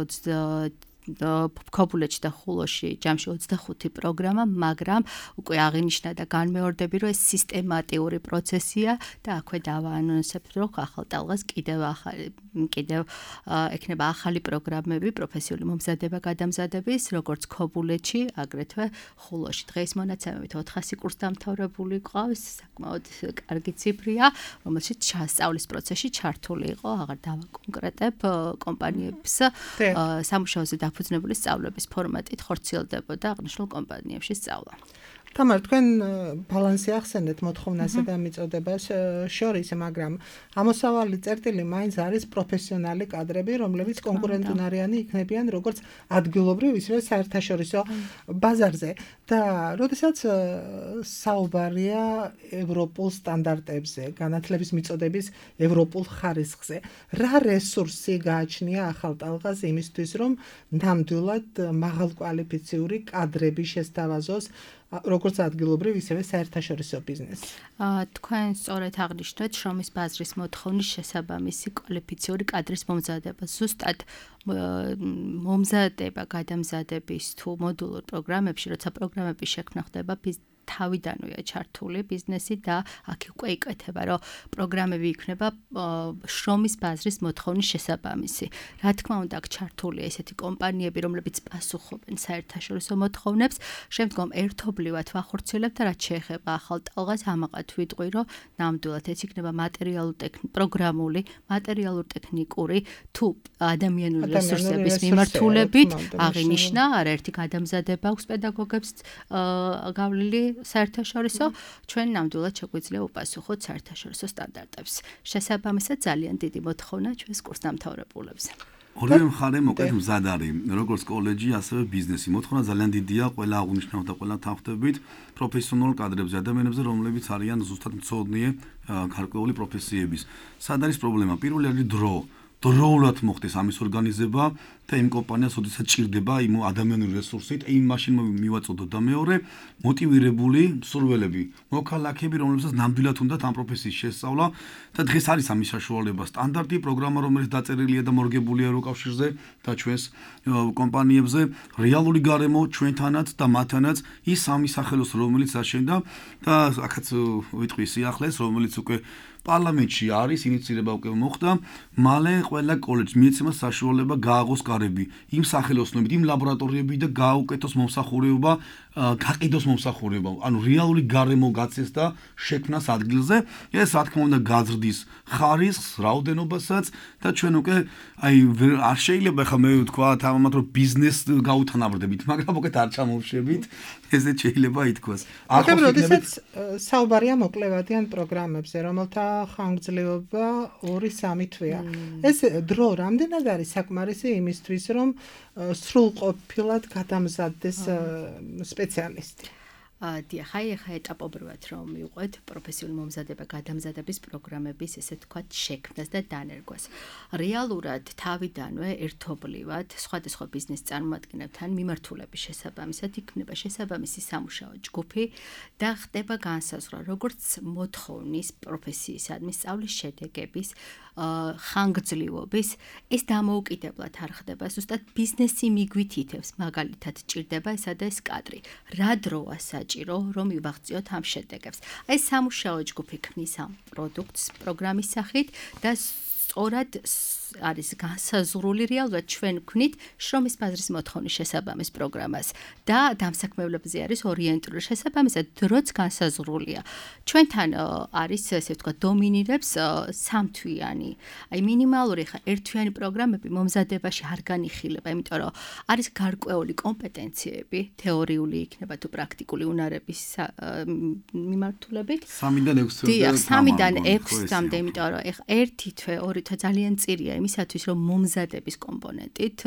ქობულეთში და ხულოში ჯამში 25 პროგრამა, მაგრამ უკვე აღინიშნა და განმეორდები, რომ ეს სისტემატიური პროცესია და აქვე დავაანონსებთ, რომ ახალ ტალღას კიდევ ექნება ახალი პროგრამები პროფესიული მომზადება გადამზადების, როგორც ქობულეთში, აგრეთვე ხულოში. დღეს მონაცემებით 400 კურსდამთავრებული ყავს, საკმაოდ კარგი ციფრია, რომელშიც სწავლის პროცესში ჩართული იყო, აღარ დავაკონკრეტებ კომპანიებს სამუშაოზე ფუძნებული სწავლების ფორმატით ხორციელდებოდა აღნიშნულ კომპანიებში სწავლა. თამარ, თქვენ ბალანსი ახსენეთ მოთხოვნასა და მიწოდებას შორის, მაგრამ ამოსავალი წერტილი მაინც არის პროფესიონალი კადრები, რომლებიც კონკურენტუნარიანი იქნებიან როგორც ადგილობრივ, ისევე საერთაშორისო ბაზარზე. და როდესაც საუბარია ევროპულ სტანდარტებზე, განათლების მიწოდების ევროპულ ხარისხზე, რა რესურსი გააჩნია ახალ ტალღას იმისთვის, რომ ნამდვილად მაღალკვალიფიციური კადრები შესთავაზოს როგორც ადგილობრივ, ისევე საერთაშორისო ბიზნესს. თქვენ სწორედ აღნიშნეთ შრომის ბაზრის მოთხოვნის შესაბამისი კვალიფიციური კადრის მომზადება. ზუსტად მომზადება გადამზადების თუ მოდულურ პროგრამებში, როცა პროგრამების შექმნა ხდება თავიდანვეა ჩართული ბიზნესი და აქ უკვე იკეთება, რომ პროგრამები იქნება შრომის ბაზრის მოთხოვნის შესაბამისი. Რა თქმა უნდა, აქ ჩართულია ესეთი კომპანიები, რომლებიც პასუხობენ საერთაშორისო მოთხოვნებს, შემდგომ ერთობლივად ვახორციელებთ და რაც შეეხება ახალ ტალღას, ამაყად ვიტყვი, რომ ნამდვილად ეს იქნება პროგრამული, მატერიალურ-ტექნიკური თუ ადამიანური რესურსების მიმართულებით აღინიშნა, არაერთი გადამზადება აქვს პედაგოგებს გავლილი საერთაშორისო, ჩვენ ნამდვილად შეგვიძლია უპასუხოთ საერთაშორისო სტანდარტებს. შესაბამისად ძალიან დიდი მოთხოვნა ჩვენს კურსდამთავრებულებს. ორივე მხარე მოკლედ მზად არის, როგორც კოლეჯი, ასევე ბიზნესი. მოთხოვნა ძალიან დიდია ყველა აღნიშნავ და ყველა თანხმდებით პროფესიონალ კადრებზე, ადამიანებზე, რომლებიც არიან ზუსტად მცოდნე გარკვეული პროფესიების. სად არის პრობლემა? პირველი არის დრო. დროულად მოხდეს ამის ორგანიზება და იმ კომპანიას ოდესაც ჭირდება იმ ადამიანური რესურსით, იმ მაშინ მივაწოდოთ და მეორე მოტივირებული მსურველები, მოქალაქეები, რომლებსაც ნამდვილად უნდათ ამ პროფესიის შესწავლა და დღეს არის ამის საშუალება. სტანდარტი პროგრამა, რომელიც დაწერილია და მორგებულია ევროკავშირზე და ჩვენს კომპანიებზე, რეალური გარემო ჩვენთანაც და მათთანაც ის სამი სახელოს, რომელიც აშენდა და აქაც ვიტყვი სიახლეს, რომელიც უკვე პარლამენტში არის, ინიციირება უკვე მოხდა, მალე ყველა კოლეჯს მიეცემა საშუალება გააღოს კარები იმ სახელოსნობით, იმ ლაბორატორიები და გააუკეთოს მომსახურება, გაყიდოს მომსახურება, ანუ რეალური გარემო გაცეს და შექმნას ადგილზე. ეს რა თქმა უნდა გაზრდის ხარისხს, რაოდენობასაც და ჩვენ უკვე არ შეიძლება ხა მე ვთქვა თამამად რომ ბიზნეს გაუთანაბრდებით, მაგრამ უკვე არ ჩამოვშებით, ესე შეიძლება ითქვას. ახლა როდესაც საუბარია მოკლევადიან პროგრამებზე, რომელთა ხანგრძლივობა 2-3 თვეა. ეს დრო რამდენად არის საკმარისი იმისთვის, რომ სრულყოფილად გადამზადდეს სპეციალისტი? დიახ, ახლა ეტაპობრივად რომ მივყვეთ პროფესიული მომზადება გადამზადების პროგრამების ესე თქვათ შექმნას და დანერგვას. რეალურად თავიდანვე ერთობლივად სხვადასხვა ბიზნეს წარმომადგენლებთან მიმართულების შესაბამისად იქნება შესაბამისი სამუშაო ჯგუფი და ხდება განსაზღვრა როგორც მოთხოვნის პროფესიისადმი სწავლის შედეგების ხანგრძლივობის ეს დამოუკიდებლად არ ხდება ზუსტად ბიზნესი მიგვითითებს მაგალითად ჭირდება ესა და ეს კადრი რა დროა საჭირო რომ მივაღწიოთ ამ შედეგებს აი სამუშაო ჯგუფი ქმნის ამ პროდუქტს პროგრამის სახით და სწორად არის განსაზღვრული რეალურად ჩვენ ვქნით შრომის ბაზრის მოთხოვნის შესაბამის პროგრამას და დამსაქმებლებზე არის ორიენტირებული შესაბამისად დროც განსაზღვრულია ჩვენთან არის ესე ვთქვათ დომინირებს სამთვიანი აი მინიმალური ხა ერთთვიანი პროგრამები მომზადებაში არ განიხილება იმიტომ რომ არის გარკვეული კომპეტენციები თეორიული იქნება თუ პრაქტიკული უნარების მიმართულებით 3-დან 6 თვე და 3-დან 6 თვემდე იმიტომ რომ ეხა ერთი თვე ორი თვე ძალიან წირია იმისათვის რომ მომზადების კომპონენტით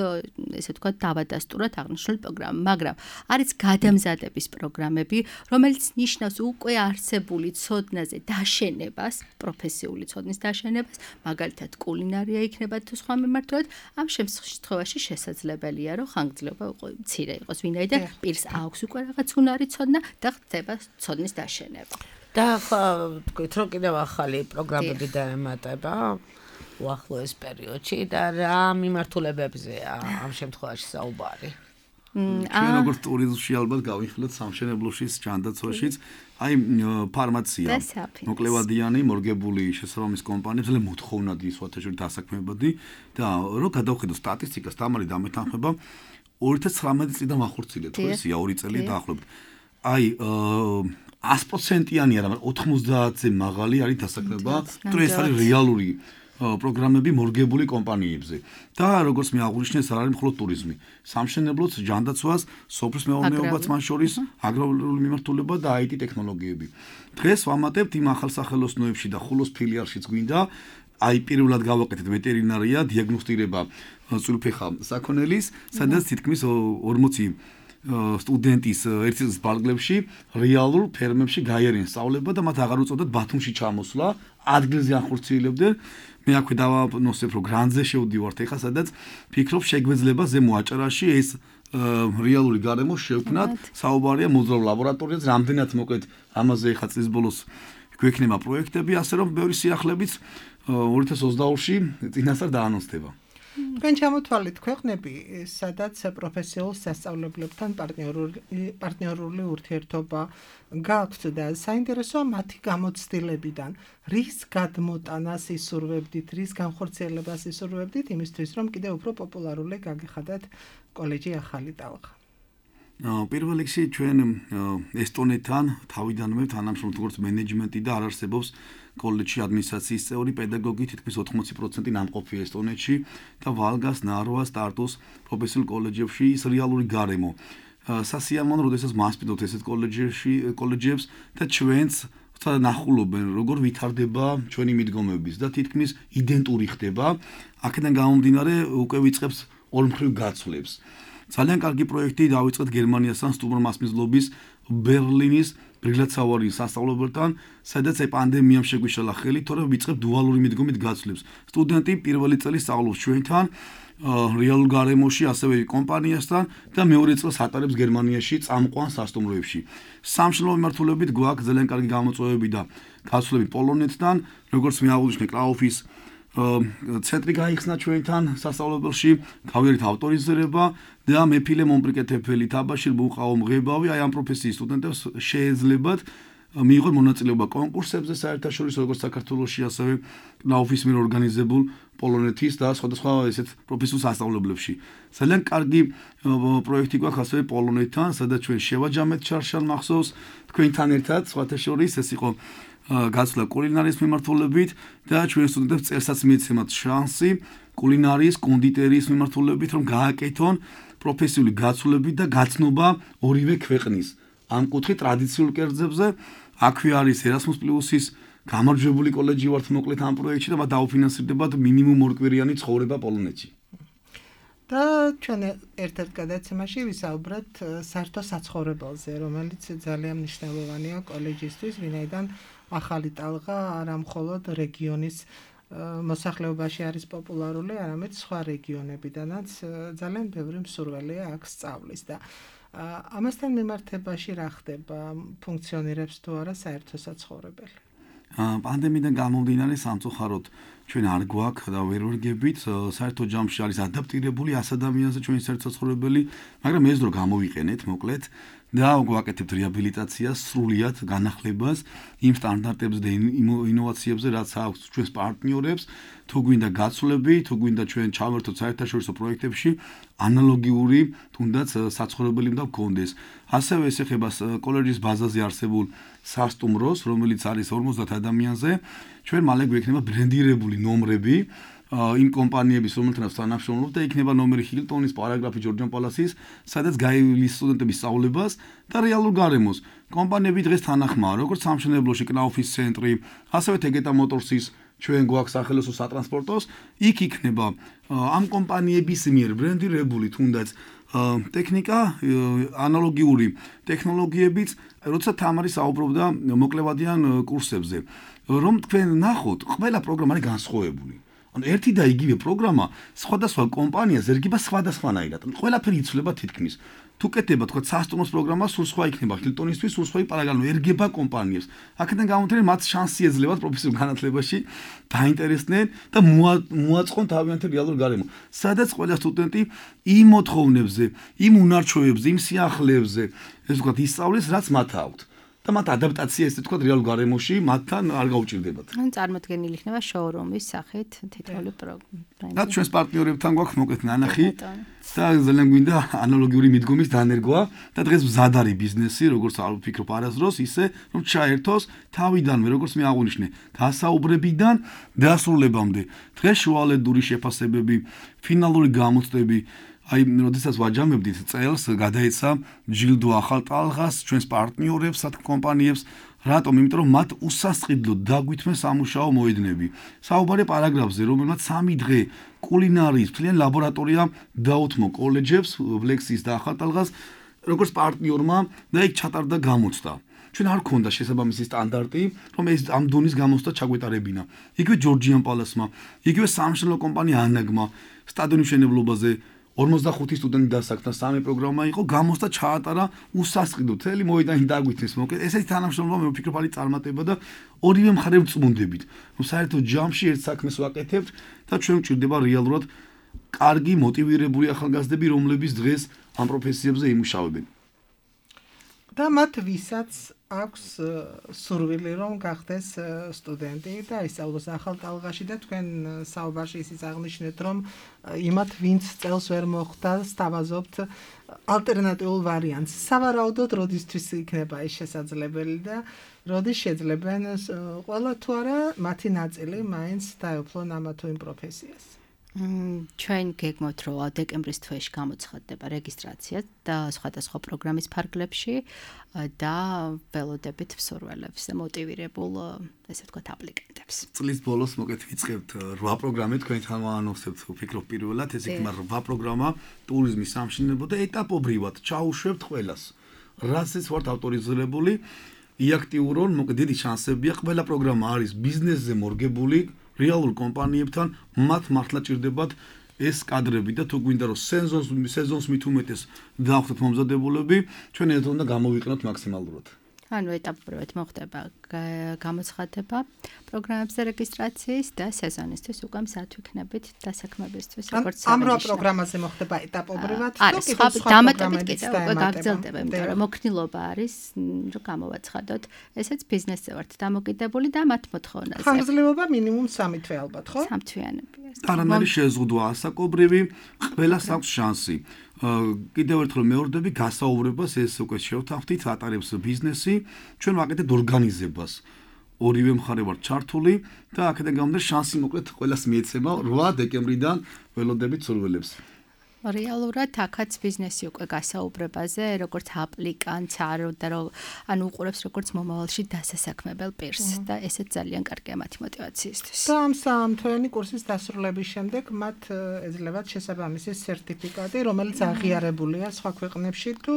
ესე ვთქვათ დავადასტუროთ აღნიშნული პროგრამა მაგრამ არის გადამზადების პროგრამები რომელიც ნიშნავს უკვე არსებული ცოდნაზე დაშენებას პროფესიული ცოდნის დაშენებას მაგალითად კულინარია იქნება თუ სხვა მიმართულებით ამ შემთხვევაში შესაძლებელია რომ ხანგრძლივობა მცირე იყოს ვინაიდან პირს აქვს უკვე რაღაც უნარი ცოდნა და ხდება ცოდნის დაშენება და თქვით რომ კიდევ ახალი პროგრამები დაემატება უახლოეს პერიოდში და რა მიმართულებებზეა ამ შემთხვევაში საუბარი? ჩვენ როგორც ტურიზმში ალბათ გავიხილოთ სამშენებლოშიც, ჯანდაცვაშიც, აი ფარმაცია, მოკლევადიანი, მორგებული შესაბამის კომპანიებს, ძალიან მოთხოვნადი სხვათაშორის დასაქმებადი და რომ გადავხედოთ სტატისტიკას, თამარი დამეთანხმება 2019 წლიდან ვახორციელეთ, ხო ესია 2 წელი დაახლოებით. აი 100%-იანი არა, მაგრამ 90-ზე მაღალი არის დასაქმება, თუ ეს არის რეალური პროგრამები მორგებული კომპანიებზე. და როგორც მე აღვნიშნე, ეს არ არის მხოლოდ ტურიზმი. სამშენებლოც, ჯანდაცვას, სოფლის მეურნეობაც მათ შორის, აგრარული მიმართულება და IT ტექნოლოგიები. დღეს ვამატებთ იმ ახალსახელოსნოებში და ხულოს ფილიალშიც გვინდა აი პირველად გავაკეთეთ ვეტერინარია, დიაგნოსტირება წვრილფეხა საქონელის, სადაც თითქმის 40 სტუდენტის ერთი წლის ბალკლებში რეალურ ფერმებში გაიარენ სწავლება და მათ აღარ უწოდათ ბათუმში ჩამოსვლა, ადგილზე ახორციელებდნენ. მე აქვე დავანოსებ რომ გრანტზე შევდივართ ეხლა სადაც ფიქრობ შეგვეძლება ზემო აჭარაში ეს რეალური გარემო შევქმნათ საუბარია მოძრავ ლაბორატორიაზე რამდენად მოკლედ ამაზე ეხლა წლის ბოლოს გვექნება პროექტები ასე რომ ბევრი სიახლეებით 2022-ში წინასწარ დაანონსდება თქვენ ჩამოთვალეთ ქვეყნები, სადაც პროფესიულ სასწავლებლებთან პარტნიორული ურთიერთობა გაქვთ და საინტერესოა მათი გამოცდილებიდან, რის გადმოტანას ისურვებდით, რის განხორციელებას ისურვებდით იმისთვის, რომ კიდევ უფრო პოპულარული გაგეხადათ კოლეჯი ახალი ტალღა. პირველ რიგში ჩვენ ესტონეთთან თავიდანვე თანამშრომლობთ როგორც მენეჯმენტი და არ არსებობს კოლეჯში ადმინისტრაციის წევრი პედაგოგი თითქმის 80% ნამყოფია ესტონეთში და ვალგას, ნარვას, ტარტუს პროფესიულ კოლეჯებში ის რეალური გარემო. სასიამოვნო, როდესაც მასპინძლობთ ესეთ კოლეჯებს და ჩვენც ნახულობენ როგორ ვითარდება ჩვენი მიდგომების და თითქმის იდენტური ხდება. აქედან გამომდინარე უკვე ვიწყებს ორმხრივ გაცვლებს. ძალიან კარგი პროექტი დავიწყეთ გერმანიასთან სტუმრ მასპინძლობის ბერლინის ბრილაცავარის სასწავლებელთან, სადაც პანდემიამ შეგვიშალა ხელი, თორემ ვიწყებ დუალური მიდგომით გაცვლებს. სტუდენტი პირველი წელი სწავლობს ჩვენთან, რეალურ გარემოში, ასევე კომპანიასთან და მეორე წელს ატარებს გერმანიაში წამყვან სასტუმროებში. სამშობლო მიმართულებით გვაქვს ძალიან კარგი გამოწვევები და გაცვლები პოლონეთთან, როგორც მე აღვნიშნე კრაუფის ცენტრი გაიხსნა ჩვენთან სასწავლებელში, გავიარეთ ავტორიზირება და მეფილე მომპრიკეთებელი თაბაშირ ბუყაო მღებავი აი ამ პროფესიის სტუდენტებს შეეძლებათ მიიღონ მონაწილეობა კონკურსებზე საერთაშორისო როგორც საქართველოში, ასევე კრაუფის მიერ ორგანიზებულ პოლონეთის და სხვადასხვა ესეთ პროფესიულ სასწავლებლებში. ძალიან კარგი პროექტი გვაქვს ასევე პოლონეთთან, სადაც ჩვენ შევაჯამეთ ჩარშან მახსოვს თქვენთან ერთად, სხვათა შორის ეს იყო გაცვლა კულინარიის მიმართულებით და ჩვენ სტუდენტებს წელსაც მიეცემათ შანსი კულინარიის, კონდიტერიის მიმართულებით, რომ გააკეთონ პროფესიული გაცვლები და გაცნობა ორივე ქვეყნის. ამ კუთხით ტრადიციულ კერძებზე აქვე არის Erasmus+-ის გამარჯვებული კოლეჯი ვართ მოკლედ ამ პროექტში და მათ დაუფინანსირდებათ მინიმუმ ორკვირიანი ცხოვრება პოლონეთში. და ჩვენ ერთ-ერთ გადაცემაში ვისაუბრეთ საერთო საცხოვრებელზე, რომელიც ძალიან მნიშვნელოვანია კოლეჯისთვის, ვინაიდან ახალი ტალღა არა მხოლოდ რეგიონის მოსახლეობაში არის პოპულარული, არამედ სხვა რეგიონებიდანაც ძალიან ბევრი მსურველია აქ სწავლის და ამასთან მიმართებაში რა ხდება, ფუნქციონირებს თუ არა საერთო საცხოვრებელი? პანდემიიდან გამომდინარე სამწუხაროდ ჩვენ არ გვაქვს და ვერ ვერგებით, საერთო ჯამში არის ადაპტირებული 100 ადამიანზე ჩვენი საერთო საცხოვრებელი, მაგრამ ეს დრო გამოვიყენეთ მოკლედ და გვაკეთებთ რეაბილიტაციას, სრულიად განახლებას იმ სტანდარტებზე და ინოვაციებზე, რაც აქვს ჩვენს პარტნიორებს, თუ გვინდა გაცვლები, თუ გვინდა ჩვენ ჩავერთოთ საერთაშორისო პროექტებში, ანალოგიური თუნდაც საცხოვრებელი უნდა გქონდეს. ასევე ეს ეხება კოლეჯის ბაზაზე არსებულ სასტუმროს, რომელიც არის 50 ადამიანზე, ჩვენ მალე გვექნება ბრენდირებული ნომრები იმ კომპანიების, რომელთანაც თანამშრომლობთ და იქნება ნომერი ჰილტონის, პარაგრაფი ჯორჯან პალასის, სადაც გაივლის სტუდენტების სწავლებას და რეალურ გარემოს. კომპანიები დღეს თანახმაა, როგორც სამშენებლოში კრაუფის ცენტრი, ასევე ტეგეტა მოტორსის ჩვენ გვაქვს სახელოსნო სატრანსპორტოს, იქ იქნება ამ კომპანიების მიერ ბრენდირებული თუნდაც ტექნიკა, ანალოგიური ტექნოლოგიებიც, როცა თამარი საუბრობდა მოკლევადიან კურსებზე, რომ თქვენ ნახოთ, ყველა პროგრამა არის განსხვავებული. ანუ ერთი და იგივე პროგრამა სხვადასხვა კომპანიას ერგება სხვადასხვანაირად. ყველაფერი იცვლება თითქმის. თუ კეთდება თქვა სასტუმროს პროგრამა სულ სხვა იქნება ჰილტონისთვის, სულ სხვა პარაგალო ერგება კომპანიებს. აქედან გამომდინარე მათ შანსი ეძლებათ პროფესიულ განათლებაში დაინტერესდნენ და მოაწყონ თავიანთი რეალურ გარემო. სადაც ყველა სტუდენტი იმ მოთხოვნებზე, იმ უნარჩვევებზე, იმ სიახლეებზე, ეს ვთქვათ, ისწავლის, რაც მათ აქვთ. და მათ ადაპტაცია ესე თქვა რეალურ გარემოში მათთან არ გაუჭირდებათ. ან წარმოქმნილი იქნება შოურუმის სახით თითოეული პროგრამა. და ჩვენს პარტნიორებთან გვაქვს მოკლედ ნანახი და ძალიან გვინდა ანალოგიური მიდგომის დანერგვა და დღეს მზად არის ბიზნესი, როგორც არ ვფიქრობ არასდროს, ისე რომ ჩაერთოს თავიდანვე, როგორც მე აღვნიშნე, გასაუბრებიდან დასრულებამდე. დღეს შუალედური შეფასებები, ფინალური გამოცდები აი, როდესაც ვაჯამებდით წელს, გადაეცა ჯილდო ახალ ტალღას ჩვენს პარტნიორებს, კომპანიებს, რატომ? იმიტომ რომ მათ უსასყიდლოდ დაგვითმეს სამუშაო მოედნები. საუბარია პარაგრაფზე, რომელმაც 3 დღე კულინარიის მთლიანი ლაბორატორია დაუთმო კოლეჯებს, ვლექსის და ახალ ტალღას, როგორც პარტნიორმა და იქ ჩატარდა გამოცდა. ჩვენ არ გქონდა შესაბამისი სტანდარტი, რომ ეს ამ დონის გამოცდა ჩაგვეტარებინა. იგივე ჯორჯიან პალასმა, იგივე სამშენებლო კომპანია ანაგმა, სტადიონის მშენებლობაზე 45 სტუდენტი დასაქმდა, 3 პროგრამა იყო, გამოცდა ჩაატარა უსასყიდო, მთელი მოედანი დაგვითმეს. მოკლედ, ესეთი თანამშრომლობა მე ვფიქრობ არის წარმატება და ორივე მხარე ვწმუნდებით. რომ საერთოდ ჯამში ერთ საქმეს ვაკეთებთ და ჩვენ გვჭირდება რეალურად კარგი მოტივირებული ახალგაზრდები, რომლებიც დღეს ამ პროფესიებზე იმუშავებენ. და მათ ვისაც აქვს სურვილი რომ გახდეს სტუდენტი და ისწავლოს ახალ ტალღაში და თქვენ საუბარში ისიც აღნიშნეთ რომ იმათ ვინც წელს ვერ მოხდა სთავაზობთ ალტერნატიულ ვარიანტს. სავარაუდოდ როდისთვის იქნება ეს შესაძლებელი და როდის შეძლებენ ყველა თუ არა მათი ნაწილი მაინც დაეუფლონ ამა თუ იმ პროფესიას. ჩვენ გეგმავთ რომ დეკემბრის თვეში გამოცხადდება რეგისტრაცია და სხვადასხვა პროგრამის ფარგლებში და ველოდებით მსურველებს მოტივირებულ ესე ვთქვათ აპლიკანტებს. წლის ბოლოს მოკეთ ვიწყებთ 8 პროგრამი თქვენთან ვანონსებთ ვფიქრობ პირველად ეს იქნება 8 პროგრამა ტურიზმის სამშენებლო და ეტაპობრივად ჩაუშვებთ ყველას. რასაც ვართ ავტორიზირებული იაქტიურონ მოკეთ დიდი შანსებია ყველა პროგრამა არის ბიზნესზე მორგებული რეალურ კომპანიებთან მათ მართლა ჭირდებათ ეს კადრები და თუ გვინდა რომ სეზონს მით უმეტეს დავხდეთ მომზადებულები ჩვენ ერთად უნდა გამოვიყენოთ მაქსიმალურად. ანუ ეტაპობრივად მოხდება გამოცხადება პროგრამებზე რეგისტრაციის და სეზონისთვის უკვე მზად ვიქნებით დასაქმებისთვის როგორც ამ 8 პროგრამაზე მოხდება ეტაპობრივად და სხვა დამატებით კიდევ უკვე გაგრძელდება იმიტომ რომ მოქნილობა არის რომ გამოვაცხადოთ ესეც ბიზნესზე ვართ დამოკიდებული და მათ მოთხოვნაზე ხანგრძლივობა მინიმუმ 3 თვე ალბათ ხო? 3 თვიანებია. არანაირი შეზღუდვა ასაკობრივი ყველას აქვს შანსი. კიდევ ერთხელ მეორდები გასაუბრებას ეს უკვე შევთანხმდით ატარებს ბიზნესი ჩვენ ვაკეთებთ ორგანიზებას ორივე მხარე ვარ ჩართული და აქედან გამომდინარე შანსი მოკლედ ყველას მიეცემა 8 დეკემბრიდან ველოდებით სურვილებს. რეალურად აქაც ბიზნესი უკვე გასაუბრებაზე როგორც აპლიკანტს ანუ უყურებს როგორც მომავალში დასასაქმებელ პირს და ესეც ძალიან კარგია მათი მოტივაციისთვის. და ამ 3 თვიანი კურსის დასრულების შემდეგ მათ ეძლებათ შესაბამისი სერტიფიკატი რომელიც აღიარებულია სხვა ქვეყნებში თუ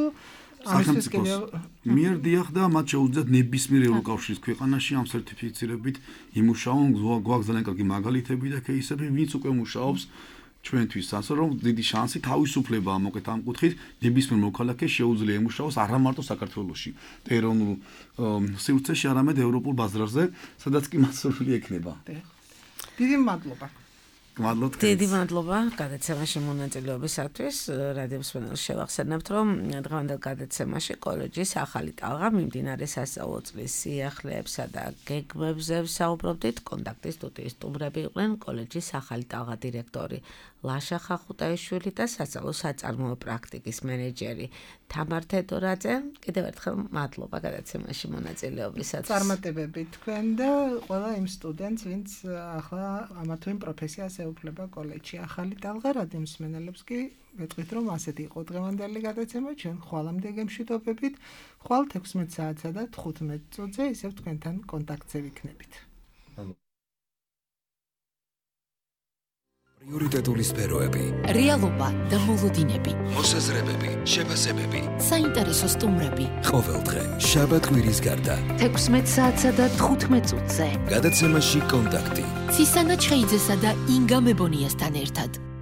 სახელმწიფოს მიერ დიახ და მათ შეუძლიათ ნებისმიერ ევროკავშირის ქვეყანაში ამ სერტიფიცირებით იმუშაონ გვაქვს ძალიან კარგი მაგალითები და кейსები ვინც უკვე მუშაობს ჩვენთვის ასე რომ დიდი შანსი თავისუფლებაა მოკეთ ამ კუთხით ნებისმიერ მოქალაქეს შეუძლია იმუშაოს არა მარტო საქართველოში და ეროვნულ სივრცეში არამედ ევროპულ ბაზარზე სადაც კი მასურველი ექნება. დიდი მადლობა. დიდი მადლობა გადაცემაში მონაწილეობისათვის. რადიო მსმენელს შევახსენებთ, რომ დღევანდელ გადაცემაში კოლეჯის ახალი ტალღა მიმდინარე სასწავლო წლის სიახლეებსა და გეგმებზე ვსაუბრობდით. კონტაქტის სტუდიის სტუმრები იყვნენ კოლეჯის ახალი ტალღა დირექტორი ლაშა ხახუტაიშვილი და სასწავლო საწარმოო პრაქტიკის მენეჯერი თამარ თედორაძე. კიდევ ერთხელ მადლობა გადაცემაში მონაწილეობისათვის. წარმატებები თქვენ და ყველა იმ სტუდენტს, ვინც ახლა ამა თუ იმ პროფესიას ეუფლება კოლეჯში. ახალი ტალღა რადიო მსმენელებს კი ვეთქვით, რომ ასეთი იყო დღევანდელი გადაცემა. ჩვენ ხვალამდე გემშვიდობებით. ხვალ 16 საათსა და 15 წუთზე ისევ თქვენთან კონტაქტზე ვიქნებით. პრიორიტეტული სფეროები, რეალობა და მოლოდინები, მოსაზრებები, შეფასებები, საინტერესო სტუმრები. ყოველდღე შაბათ-კვირის გარდა 16 საათსა და 15 წუთზე. გადაცემაში კონტაქტი. ცისანა ჩხეიძესა და ინგა მებონიასთან ერთად.